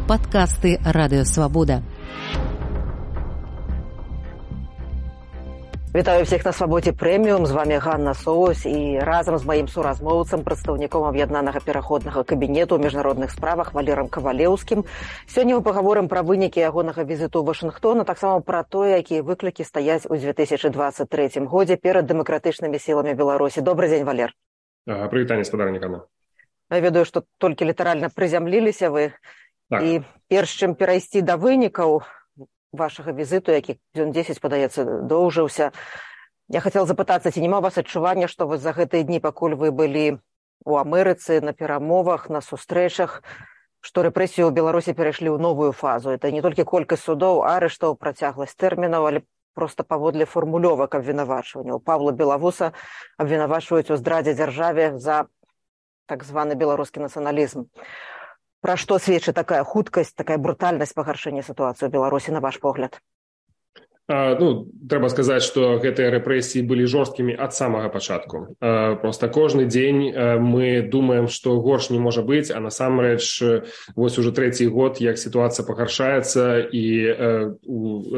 Падкасты Радыёвабода. Вітаю всіх на Свабодзе Прэміум. З вами Ганна Соус і разам з маім суразмоўцам, прадстаўніком аб'яднанага пераходнага кабінету ў міжнародных справах Валерам Кавалеўскім. Сёння мы паговорым пра вынікі ягонага візіту ў Вашынгтон, а таксама пра тое, якія выклікі стаяць у 2023 годзе перад дэмакратычнымі сіламі Беларусі. Добрый дзень, Валер. Прывітанне, спадарнік Анна. Я ведаю, што толькі літаральна прызямліліся вы. Так. І перш чым перайсці да вынікаў вашага візіту, які дзён 10, падаецца, доўжыўся. Я хацела запытацца, ці няма у вас адчування, што вы за гэтыя дні, пакуль вы былі у Амерыцы, на перамовах, на сустрэчах, што рэпрэсіі ў Беларусі перайшлі ў новую фазу. Это не толькі колькасць судоў, арыштаў, працягласць тэрмінаў, але проста паводле формулёвак абвінавачванняў. Павла Белавуса абвінавачваюць у здрадзе дзяржаве за так званы беларускі нацыяналізм. Пра што сведчыць такая хуткасць, такая брутальнасць пагаршэння сітуацыі ў Беларусі, на ваш погляд? Трэба сказаць, што гэтыя рэпрэсіі былі жорсткімі ад самага пачатку. Проста кожны дзень мы думаем, што горш не можа быць, а насамрэч вось уже трэці год, як сітуацыя пагаршаецца, і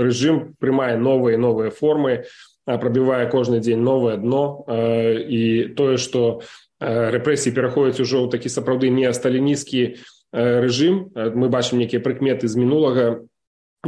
рэжым прымае новыя і новыя формы, прабівае кожны дзень новае дно, і тое, што рэпрэсіі пераходзяць ужо ў такі сапраўды неасталінісцкі рэжым, мы бачым нейкія прыкметы з мінулага.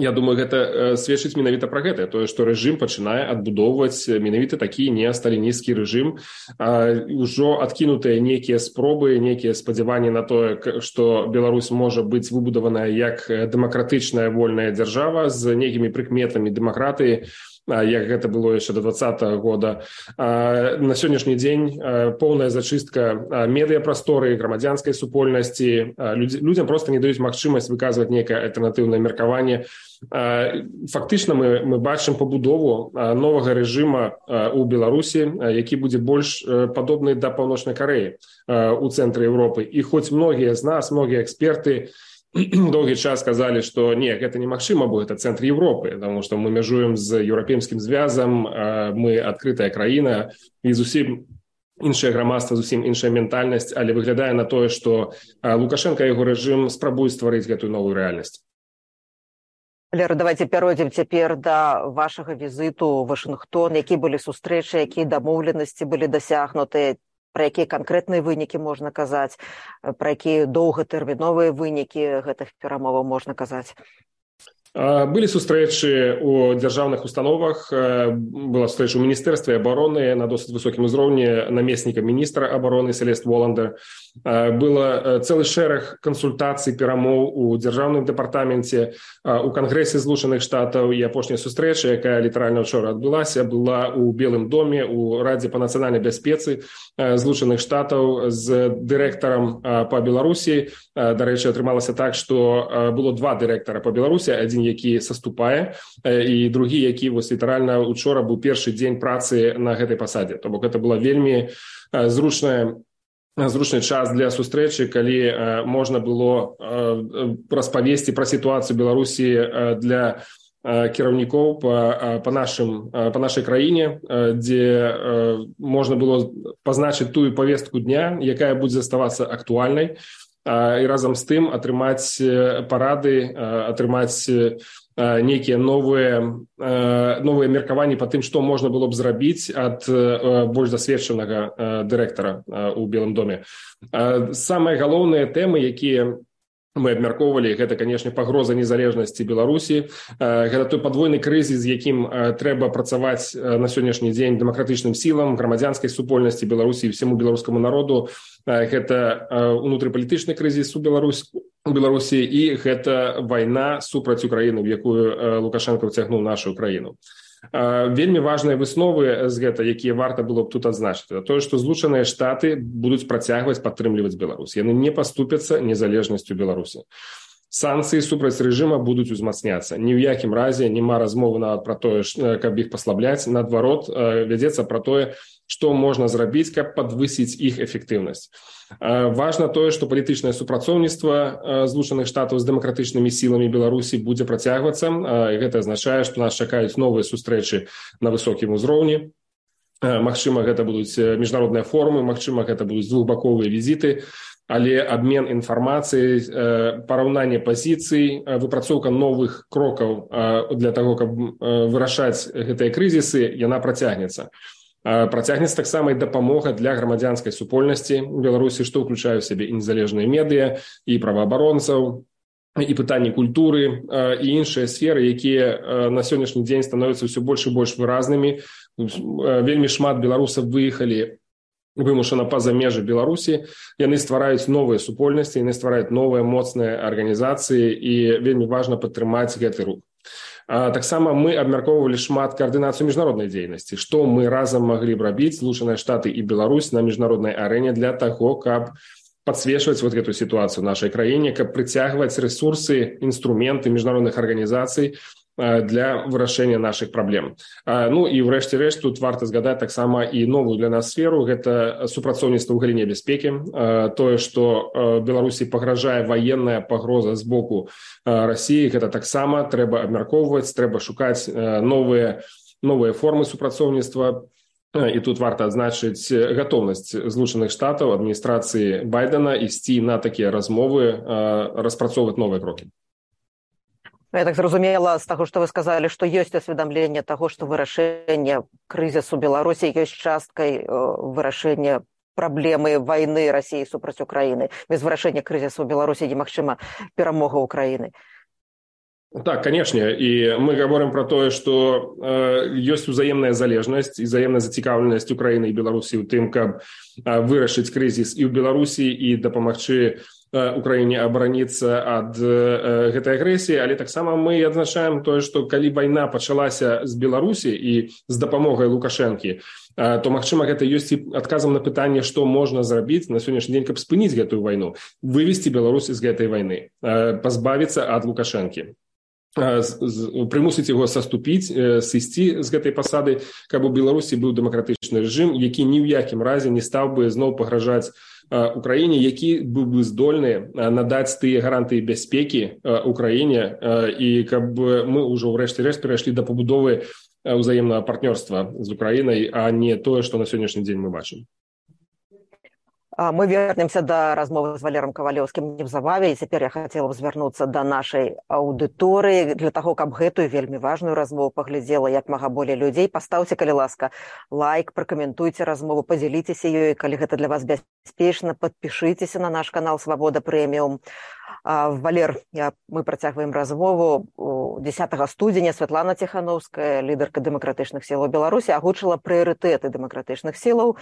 Я думаю, гэта сведчыць менавіта пра гэта, тое, што рэжым пачынае адбудоўваць менавіта такі неасталінісцкі рэжым. Ужо адкінутыя нейкія спробы, нейкія спадзяванні на тое, што Беларусь можа быць выбудаваная як дэмакратычная вольная дзяржава з нейкімі прыкметамі дэмакратыі, як гэта было яшчэ до 2020 года. На сённяшні дзень поўная зачыстка медыяпрасторы, грамадзянскай супольнасці. Людзям проста не даюць магчымасць выказваць нейкае альтэрнатыўнае меркаванне. Фактычна мы бачым пабудову новага рэжыма ў Беларусі, які будзе больш падобны да Паўночнай Карэі ў цэнтры Еўропы. І хоць многія з нас, многія эксперты доўгі час казалі, што не, гэта немагчыма, бо гэта цэнтр Еўропы, таму што мы мяжуем з еўрапейскім звязам, мы адкрытая краіна, і зусім іншае грамадства, зусім іншая ментальнасць, але выглядае на тое, што Лукашенка і яго рэжым спрабуюць стварыць гэтую новую рэальнасць. Валера, давайте перайдзем цяпер да вашага візіту ў Вашынгтон. Які былі сустрэчы, якія дамоўленасці былі дасягнутыя, пра якія канкрэтныя вынікі можна казаць, пра якія доўгатэрміновыя вынікі гэтых перамоваў можна казаць? Былі сустрэчы ў дзяржаўных установах, была сустрэча ў Міністэрстве абароны на досыць высокім узроўні намесніка міністра абароны Селест Воландер. Было цэлы шэраг кансультацый, перамоў у дзяржаўным дэпартаменце, у Кангрэсе Злучаных Штатаў, і апошняя сустрэча, якая літаральна ўчора адбылася, была ў Белым доме, у Радзе па нацыянальнай бяспецы Злучаных Штатаў з дырэктарам па Беларусі. Дарэчы, атрымалася так, што было два дырэктара па Беларусі, адзін які саступае, і другі, які вось літаральна учора быў першы дзень працы на гэтай пасадзе. То бок гэта была вельмі зручны час для сустрэчы, калі можна было распавесці пра сітуацыю Беларусі для кіраўнікоў па нашай краіне, дзе можна было пазначыць тую павестку дня, якая будзе заставацца актуальнай, і разам з тым атрымаць парады, атрымаць нейкія новыя меркаванні па тым, што можна было б зрабіць ад больш дасведчанага дырэктара ў Белым доме. Самыя галоўныя тэмы, якія мы абмяркоўвалі, гэта, канешне, пагроза незалежнасці Беларусі. Гэта той падвойны крызіс, з якім трэба працаваць на сённяшні дзень дэмакратычным сілам, грамадзянскай супольнасці Беларусі і всяму беларускаму народу. Гэта унутрыпалітычны крызіс у Беларусі, і гэта вайна супраць Украіны, в якую Лукашенко ўцягнуў нашу краіну. Вельмі важныя высновы з гэта, якія варта было б тут адзначыць, тое, што Злучаныя Штаты будуць працягваць падтрымліваць Беларусь. Яны не паступяцца незалежнасцю Беларусі. Санкцыі супраць рэжыма будуць узмацняцца. Ні ў якім разе няма размовы нават пра тое, каб іх паслабляць. Наадварот, вядзецца пра тое, што можна зрабіць, каб падвысіць іх эфектыўнасць. Важна тое, што палітычнае супрацоўніцтва Злучаных Штатаў з дэмакратычнымі сіламі Беларусі будзе працягвацца. Гэта азначае, што нас чакаюць новыя сустрэчы на высокім узроўні. Магчыма, гэта будуць міжнародныя форумы, магчыма, гэта будуць двухбаковыя візіты. але абмен інфармацыяй, параўнанне пазіцый, выпрацоўка новых крокаў для таго, каб вырашаць гэтыя крызісы, яна працягнецца. Працягнецца таксама і дапамога для грамадзянскай супольнасці ў Беларусі, што ўключае ў сябе і незалежныя медыа, і праваабаронцаў, і пытанні культуры, і іншыя сферы, якія на сённяшні дзень становяцца ўсё больш і больш выразнымі. Вельмі шмат беларусаў выехалі вымушана па-за межы Беларусі, яны ствараюць новыя супольнасці, яны ствараюць новыя моцныя арганізацыі, і вельмі важна падтрымаць гэты рух. Таксама мы абмяркоўвалі шмат каардынацыю міжнароднай дзейнасці, што мы разам маглі б рабіць, Злучаныя Штаты і Беларусь, на міжнароднай арэне для таго, каб подсвечивать вот эту ситуацию в нашей краіне, каб прыцягваць ресурсы, инструменты міжнародных арганізацый для вырашэння наших праблем. Ну і врэшце рэшт тут варта згадаць таксама і новую для нас сферу, гэта супрацоўніцтва ў галіне бяспекі. Тое, што Беларусі пагражае ваенная пагроза з боку Расіі, гэта таксама трэба абмяркоўваць, трэба шукаць новыя формы супрацоўніцтва. І тут варта адзначыць гатоўнасць Злучаных Штатаў, адміністрацыі Байдена ісці на такія размовы, распрацоўваць новыя крокі. Я так зразумела з таго, што вы сказалі, што ёсць усведамленне таго, што вырашэнне крызісу Беларусі ёсць часткай вырашэння праблемы вайны Расіі супраць Украіны. Без вырашэння крызісу Беларусі немагчыма перамога Украіны. Так, конечно, и мы говорим про то, что есть взаимная залежность и взаимная зацікаўленасць Украины и Беларуси в тем, как вырашить кризис и в Беларуси, и допомагчы Украине обороніцца ад гэтай агрэсіі, але таксама мы адзначаем тое, што калі вайна пачалася з Беларусі і з дапамогай Лукашэнкі, то, магчыма, гэта ёсць і адказам на пытанне, што можна зрабіць на сённяшні дзень, каб спыніць гэтую вайну, вывесці Беларусь з гэтай вайны, пазбавіцца ад Лукашэнкі. Прымусіць яго саступіць, сысці з гэтай пасады, каб у Беларусі быў дэмакратычны рэжым, які ні ў якім разе не стаў бы зноў пагражаць Украіне, які быў бы здольны надаць тыя гарантыі бяспекі Украіне, і каб мы ўжо ўрэшце рэшт перайшлі да пабудовы ўзаемнага партнёрства з Украінай, а не тое, што на сённяшні дзень мы бачым. Мы вернемся да размовы з Валером Кавалёўскім неўзабаве, і цяпер я хацела б звярнуцца да нашай аўдыторыі для таго, каб гэтую вельмі важную размову паглядзела як мага болей людзей. Пастаўце, калі ласка, лайк, пракаментуйце размову, падзяліцеся ёй, калі гэта для вас бяспечна, падпішыцеся на наш канал Свабода Прэміум. Валер, мы працягваем размову. 10 студзеня Святлана Ціханаўская, лідарка дэмакратычных сілаў Беларусі, агучыла прыярытэты дэмакратычных сілаў.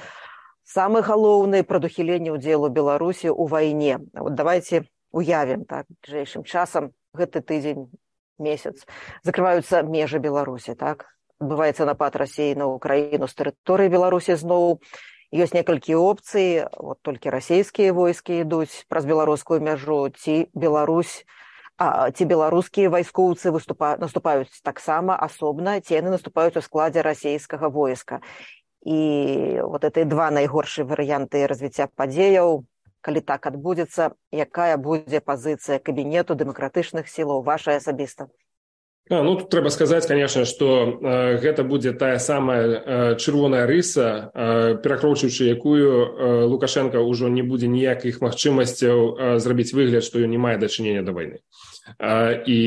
Самы галоўны прадухіленне ўдзелу Беларусі ў вайне. Вот давайте уявім, так, бліжэйшым часам, гэты тыдзень, месяц, закрываюцца межы Беларусі, так? Адбываецца напад Расіі на Украіну з тэрыторыі Беларусі зноў. Ёсць некалькі опцый, вот толькі расійскія войскі ідуць праз беларускую мяжу, ці беларускія вайскоўцы наступаюць таксама асобна, ці яны наступаюць у складзе расійскага войска. І вот это два найгоршыя варыянты развіцця падзеяў. Калі так адбудзецца, якая будзе пазіцыя кабінету дэмакратычных сілаў, ваша асабіста? Ну, тут трэба сказаць, конечно, што гэта будзе тая самая чырвоная рыса, перакроўчыўшы якую Лукашенко ўжо не будзе ніякіх магчымасцяў зрабіць выгляд, што ён не мае дачынення да вайны. І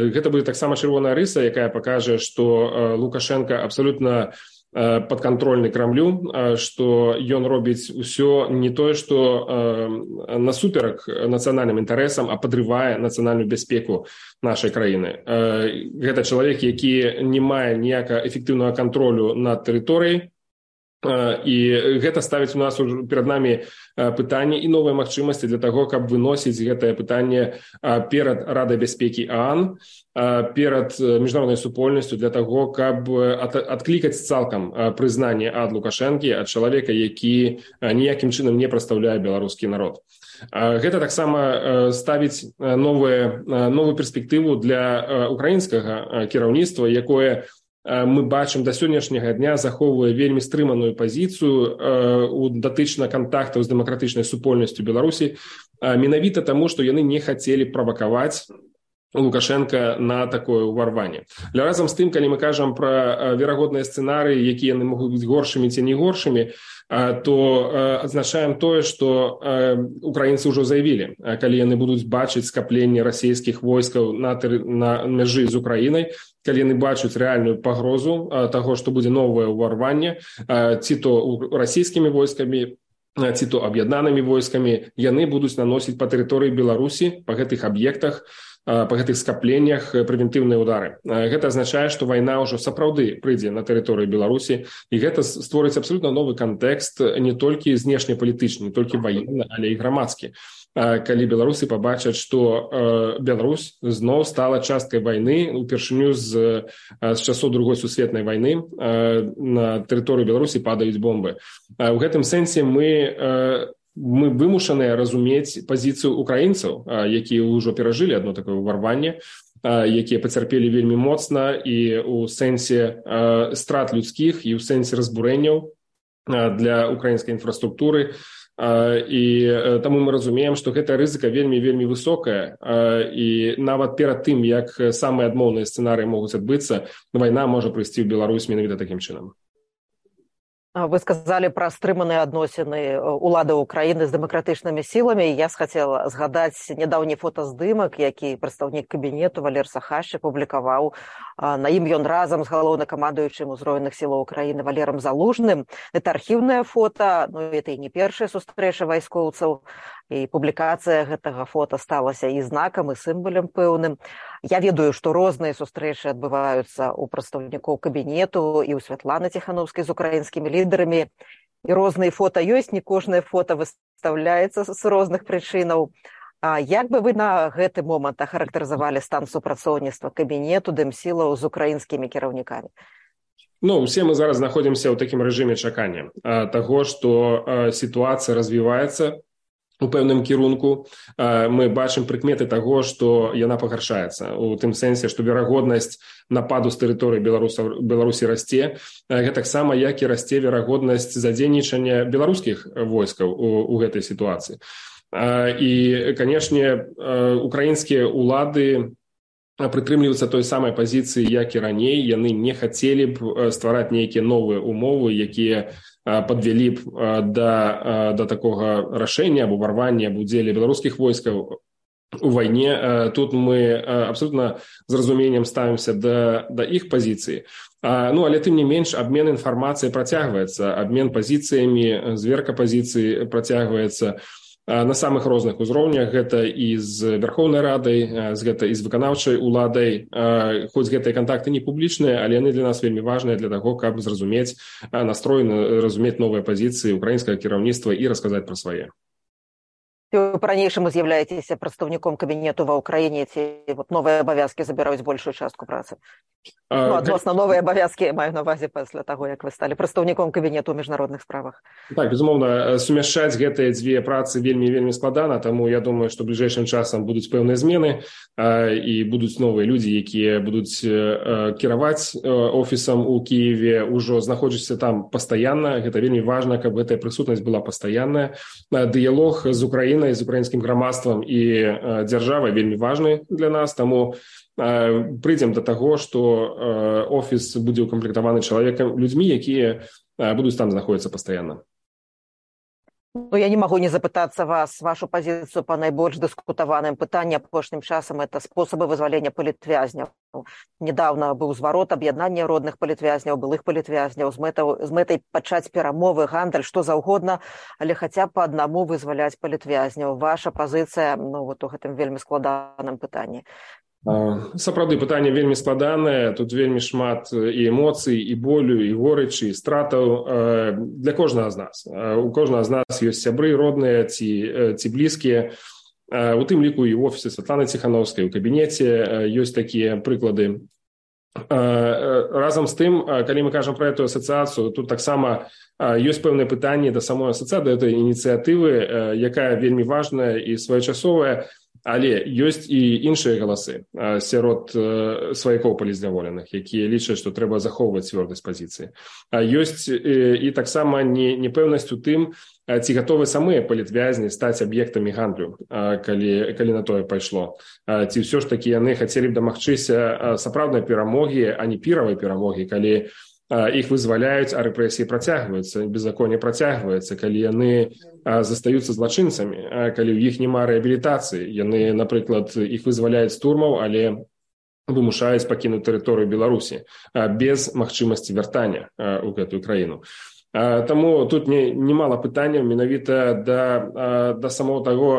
гэта будзе таксама чырвоная рыса, якая пакажа, што Лукашенко абсолютна падкантрольны Крамлю, што ён робіць усё не тое, што насуперак нацыянальным інтарэсам, а падрывае нацыянальную бяспеку нашай краіны. Гэта чалавек, які не мае ніякага эфектыўнага кантролю над тэрыторыяй, і гэта ставіць у нас перад намі пытанне і новыя магчымасці для таго, каб выносіць гэтае пытанне перад Радай бяспекі ААН, перад міжнароднай супольнасцю для таго, каб адклікаць цалкам прызнанне ад Лукашэнкі, ад чалавека, які ніякім чынам не прадстаўляе беларускі народ. Гэта таксама ставіць новую перспектыву для украінскага кіраўніцтва, якое мы бачым да сённяшняга дня захоўвае вельмі стрыманую пазіцыю датычна кантактаў з дэмакратычнай супольнасцю Беларусі, менавіта таму, што яны не хацелі правакаваць Лукашенко на такое ўварванне. Але разам з тым, калі мы кажам пра верагодныя сцэнарыі, якія яны могуць быць горшымі ці не горшымі, то адзначаем тое, што украінцы ўжо заявілі, калі яны будуць бачыць скапленне расійскіх войскаў на мяжы з Украінай, калі яны бачаць рэальную пагрозу таго, што будзе новае ўварванне, ці то расійскімі войскамі, ці то аб'яднанымі войскамі, яны будуць наносіць па тэрыторыі Беларусі, па гэтых аб'ектах, па гэтых скапленнях прэвентыўныя ўдары. Гэта азначае, што вайна ўжо сапраўды прыйдзе на тэрыторыю Беларусі, і гэта створыць абсалютна новы кантэкст не толькі знешнепалітычны, не толькі ваенны, але і грамадскі. Калі беларусы пабачаць, што Беларусь зноў стала часткай вайны, упершыню з часоў Другой сусветнай вайны на тэрыторыю Беларусі падаюць бомбы. У гэтым сэнсе мы вымушаныя разумець пазіцыю украінцаў, якія ўжо перажылі адно такое ўварванне, якія пацярпелі вельмі моцна і ў сэнсе страт людскіх, і ў сэнсе разбурэнняў для украінскай інфраструктуры. І таму мы разумеем, што гэта рызыка вельмі высокая, і нават перад тым, як самыя адмоўныя сцэнарыі могуць адбыцца, вайна можа прыйсці ў Беларусь менавіта такім чынам. Вы сказалі пра стрыманыя адносіны улады Украіны з дэмакратычнымі сіламі. Я хацела згадаць нядаўні фотаздымак, які прадстаўнік кабінету Валер Сахашчык публікаваў. На ім ён разам з галоўнакамандуючым узброеных сілаў Украіны Валерам Залужным. Гэта архіўнае фота, гэта і не першая сустрэча вайскоўцаў. І публікацыя гэтага фота сталася і знакам, і сімвалем пэўным. Я ведаю, што розныя сустрэчы адбываюцца ў прадстаўнікоў кабінету і ў Святланы Ціхановскай з украінскімі лідарамі. І розныя фота ёсць, не кожнае фота выстаўляецца з розных прычынаў. Як бы вы на гэты момант ахарактарызавалі стан супрацоўніцтва кабінету дэмсілаў з украінскімі кіраўнікамі? Усе мы зараз знаходзімся ў такім рэжыме чакання таго, што сітуацыя развіваецца у пэўным кірунку. Мы бачым прыкметы таго, што яна пагаршаецца. У тым сэнсе, што верагоднасць нападу з тэрыторыі Беларусі расце. Гэтаксама, як і расце верагоднасць задзейнічання беларускіх войскаў у гэтай сітуацыі. І, канешне, украінскія ўлады прытрымліваюцца той самай пазіцыі, як і раней. Яны не хацелі б ствараць нейкія новыя умовы, якія подвели б до такого рашэння або ўварвання або удзеле беларускіх войскаў у вайне. Тут мы абсолютно з разуменнем ставімся да іх пазіцыі. Але тым не менш абмен інфармацыяй працягваецца, абмен пазіцыямі, зверка пазіцыі працягваецца на самых розных узроўнях. Гэта і з Верховнай Радай, гэта і з выканаўчай уладай. Хоць гэтыя кантакты не публічныя, але яны для нас вельмі важныя для таго, каб зразумець настрой, разумець новыя пазіцыі украінскага кіраўніцтва і расказаць пра свае. Вы па-ранейшаму з'яўляецеся прадстаўніком кабінету ва ўкраіне, ці новыя абавязкі забіраюць большую частку працы? Адносна новыя абавязкі, маю на ўвазе пасля таго, як вы сталі прадстаўніком кабінету ў міжнародных справах. Так, безумоўна, сумяшчаць гэтыя дзве працы вельмі складана, таму я думаю, што бліжэйшым часам будуць пэўныя змены і будуць новыя людзі, якія будуць кіраваць офісам у Кіеве, ужо знаходзяцца там пастаянна. Гэта вельмі важна, каб гэтая прысутнасць была пастаянная. Дыялог з Украінай, з украінскім грамадствам і дзяржавай вельмі важны для нас, таму прыйдзем да таго, што офіс будзе укамплектаваны людзьмі, якія будуць там знаходзіцца пастаянна. Я не магу не запытацца вас, вашу пазіцыю па найбольш дыскутаваным пытанні апошнім часам, это спосабы вызвалення палітвязняў. Недавно быў зварот аб'яднання родных палітвязняў, былых палітвязняў з мэтай пачаць перамовы, гандаль, што заўгодна, але хаця б па аднаму вызваляць палітвязняў. Ваша пазіцыя у гэтым вельмі складаным пытанні. Сапраўды, пытанне вельмі складанае, тут вельмі шмат і эмоцый, і болю, і горычы, і стратаў для кожнага з нас. У кожнага з нас ёсць сябры родныя ці блізкія. У тым ліку і ў офісе Святланы Ціхановскай, у кабінеце ёсць такія прыклады. Разам з тым, калі мы кажам пра эту асацыяцыю, тут таксама ёсць пэўнае пытанне да самой асацыяцыі, да этой ініцыятывы, якая вельмі важная і своечасовая. Але ёсць і іншыя галасы сярод сваякоў палізняволеных, якія лічаць, што трэба захоўваць цвёрдасць пазіцыі. Ёсць і таксама непэўнасць у тым, ці гатовы самыя палітвязні стаць аб'ектамі гандлю, калі на тое пайшло. Ці ўсё ж такі яны хацелі б дамагчыся сапраўднай перамогі, а не піравай перамогі, калі іх вызваляюць, а рэпрэсіі працягваюцца, беззаконне працягваецца, калі яны застаюцца злачынцамі, калі ў іх няма рэабілітацыі, яны, напрыклад, іх вызваляюць з турмаў, але вымушаюць пакінуць тэрыторыю Беларусі без магчымасці вяртання ў гэтую краіну. Таму тут немало пытанняў менавіта да самого таго,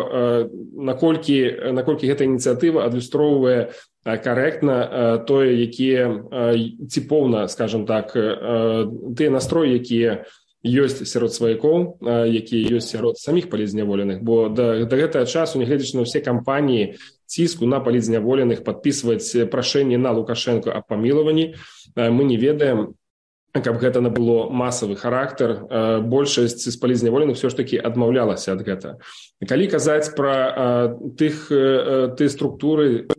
наколькі гэта ініцыятыва адлюстроўвае карэктна тое, якія ціпоўна, скажем так, тыя настроі, якія ёсць сярод сваякоў, якія ёсць сярод саміх палітзняволеных, бо да гэтага часу, нягледзячы на ўсе кампаніі ціску на палітзняволеных, падпісваць прашэнне на Лукашэнку аб памілаванні, мы не ведаем, каб гэта набыло масавы характар, большасць з палітзняволеных все ж таки адмаўлялася ад гэта. Калі казаць пра тыя структуры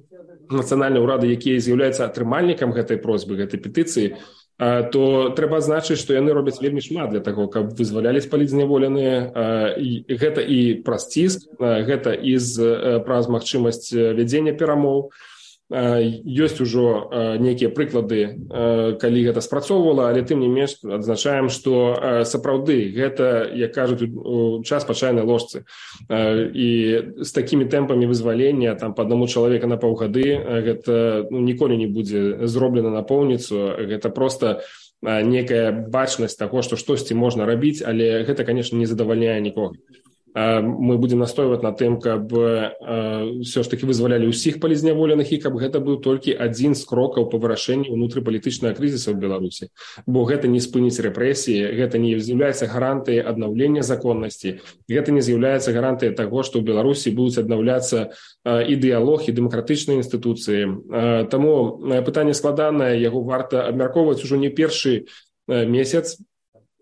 нацыянальнага ўрада, якія з'яўляюцца атрымальнікам гэтай просьбы, гэтай петыцыі, то трэба адзначыць, што яны робяць вельмі шмат для таго, каб вызвалялись палітзняволеныя. Гэта і праз ціск, гэта і праз магчымасць вядзення перамоў. Ёсць ужо нейкія прыклады, калі гэта спрацоўвала, але тым не менш адзначаем, што сапраўды гэта, як кажуць, час па чайнай ложцы. І з такімі тэмпамі вызвалення там, па аднаму чалавека на паўгады гэта ніколі не будзе зроблена напоўніцу. Гэта проста некая бачнасць таго, што штосьці можна рабіць, але гэта, конечно, не задавальняе нікога. Мы будем настойваць на тым, каб все ж таки вызвалялі ўсіх палітзняволеных і каб гэта быў толькі адзін з крокаў па вырашэнні ўнутрыпалітычнага крызіса ў Беларусі. Бо гэта не спыніць рэпрэсіі, гэта не з'яўляецца гарантыяй аднаўлення законнасці, гэта не з'яўляецца гарантыяй таго, што ў Беларусі будуць аднаўляцца і дыялог, і дэмакратычныя інстытуцыі. Таму пытанне складанае, яго варта абмяркоўваць ужо не першы месяц.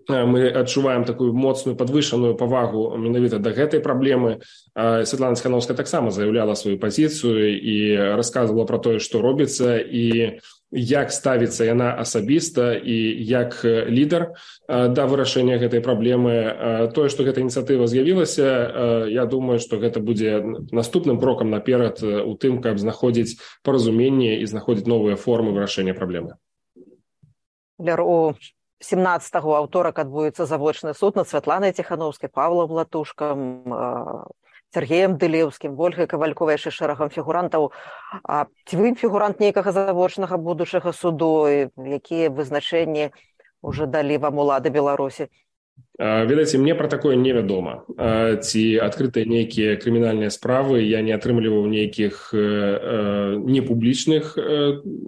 Мы адчуваем такую моцную падвышаную павагу менавіта да гэтай праблемы. Святлана Ціхановская таксама заяўляла сваю пазіцыю і расказвала пра тое, што робіцца і як ставіцца яна асабіста і як лідар да вырашэння гэтай праблемы. Тое, што гэта ініцыятыва з'явілася, я думаю, што гэта будзе наступным крокам наперад у тым, каб знаходзіць паразуменне і знаходзіць новыя формы вырашэння праблемы. 17-го аўторак адбудзецца завочны суд над Святланай Ціхановскай, Павлам Латушкам, Сергеем Дылеўскім, Ольгай Кавальковай, яшчэ шэрагам фігурантаў. Ці вы фігурант нейкага завочнага будучага суду? Якія вызначэнні ўжо далі вам улады Беларусі? Ведаеце, мне пра такое невядома. Ці адкрытыя нейкія крымінальныя справы, я не атрымліваў нейкіх непублічных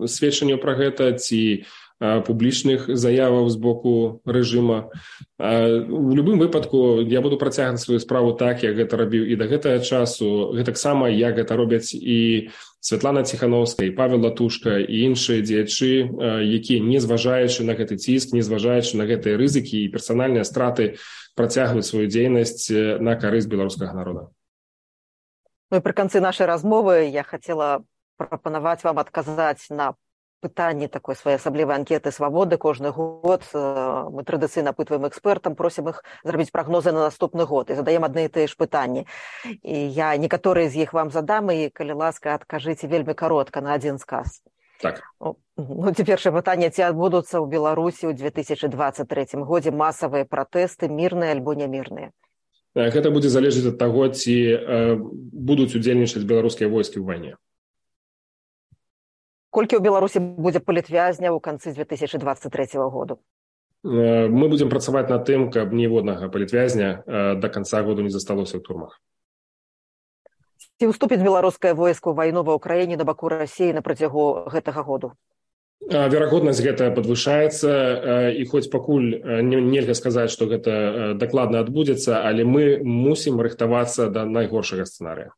сведчанняў пра гэта, ці публічных заяваў з боку рэжыма. У любым выпадку я буду працягваць сваю справу так, як гэта рабіў і да гэтага часу, гэтаксама як гэта робяць і Святлана Ціхановская, і Павел Латушка, і іншыя дзеячы, якія, не зважаючы на гэты ціск, не зважаючы на гэтыя рызыкі і персанальныя страты, працягваюць сваю дзейнасць на карысць беларускага народа. Ну і пры канцы нашай размовы я хацела прапанаваць вам адказаць на пытанні такой своеасаблівай анкеты «Свабоды». Кожны год мы традыцыйна апытваем экспертам, просім іх зрабіць прагнозы на наступны год і задаем адны і тыя ж пытанні. І я некаторыя з іх вам задам, і, калі ласка, адкажыце вельмі каротка на адзін сказ. Так. Ці першае пытанне, ці адбудуцца ў Беларусі ў 2023 годзе масавыя пратэсты, мірныя альбо нямірныя? Гэта будзе залежаць ад таго, ці будуць удзельнічаць беларускія войскі ў вайне. Колькі ў Беларусі будзе палітвязняў у канцы 2023 году? Мы будзем працаваць над тым, каб ніводнага палітвязня да канца году не засталося ў турмах. Ці ўступіць беларускае войска ў вайну ва ўкраіне на баку Расіі на працягу гэтага году? Верагоднасць гэта падвышаецца, і хоць пакуль нельга сказаць, што гэта дакладна адбудзецца, але мы мусім рыхтавацца да найгоршага сцэнарыя.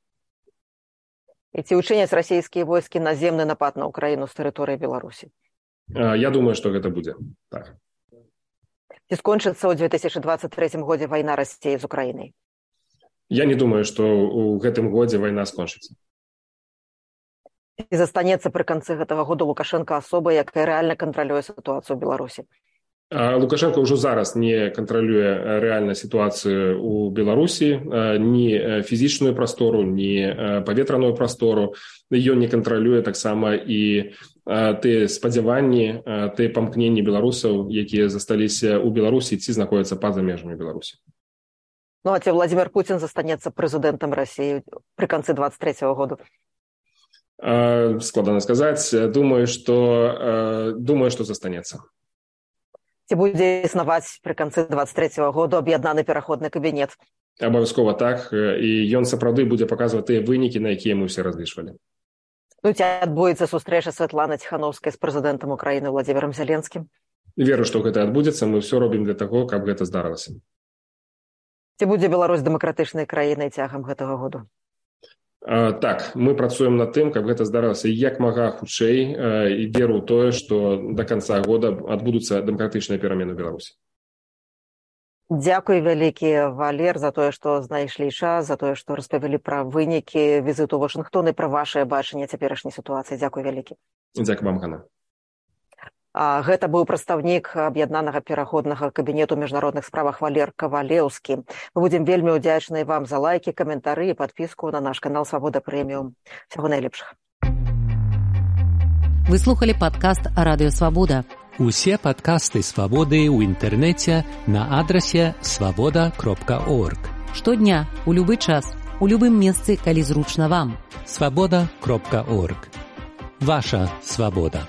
І ці ўчыняць расійскія войскі наземны напад на Украіну з тэрыторыі Беларусі? Я думаю, што гэта будзе. Так. Ці скончыцца ў 2023 годзе вайна Расіі з Украінай? Я не думаю, што ў гэтым годзе вайна скончыцца. І застанецца пры канцы гэтага года Лукашенко асобай, якая рэальна кантралюе сітуацыю ў Беларусі? Лукашенко ўжо зараз не кантралюе рэальна сітуацыю ў Беларусі, ні фізічную прастору, ні паветраную прастору. Ён не кантралюе таксама і тыя спадзяванні, тыя памкненні беларусаў, якія засталіся ў Беларусі ці знаходзяцца па-за межамі Беларусі. Ну, а ці Владимир Путин застанецца прэзідэнтам России при конце 23-го году? Складана сказаць. Думаю, што застанецца. Ці будзе існаваць при конце 23-го году аб'яднаны пераходны кабінет? Абавязкова так, і ён сапраўды будзе паказваць тыя вынікі, на якія мы ўсе разлічвалі. Ну, ці адбудзецца сустрэча Святланы Ціхановскай з прэзідэнтам Украіны Владимиром Зеленскім? Веру, што гэта адбудзецца, мы ўсё робім для таго, каб гэта здарылася. Ці будзе Беларусь дэмакратычнай краінай цягам гэтага году? Так, мы працуем над тым, каб гэта здарылася як мага хутчэй, і веру ў тое, што да канца года адбудуцца дэмакратычныя перамены ў Беларусі. Дзякуй вялікі, Валер, за тое, што знайшлі час, за тое, што распавялі пра вынікі візіту ў Вашынгтон і пра вашае бачанне цяперашняй сітуацыі. Дзякуй вялікі. Дзякуй вам, Ганна. Гэта быў прадстаўнік аб'яднанага пераходнага кабінету ў міжнародных справах Валер Кавалеўскі. Мы будзем вельмі ўдзячныя вам за лайкі, каментары і падпіску на наш канал Свабода Прэміум. Всяго найлепшага. Вы слухали падкаст Радыё Свабода. Усе падкасты Свабоды ў інтэрнэце на адрасе свабода.орг. Штодня, у любы час, у любым месцы, калі зручна вам. Свабода.орг. Ваша свабода.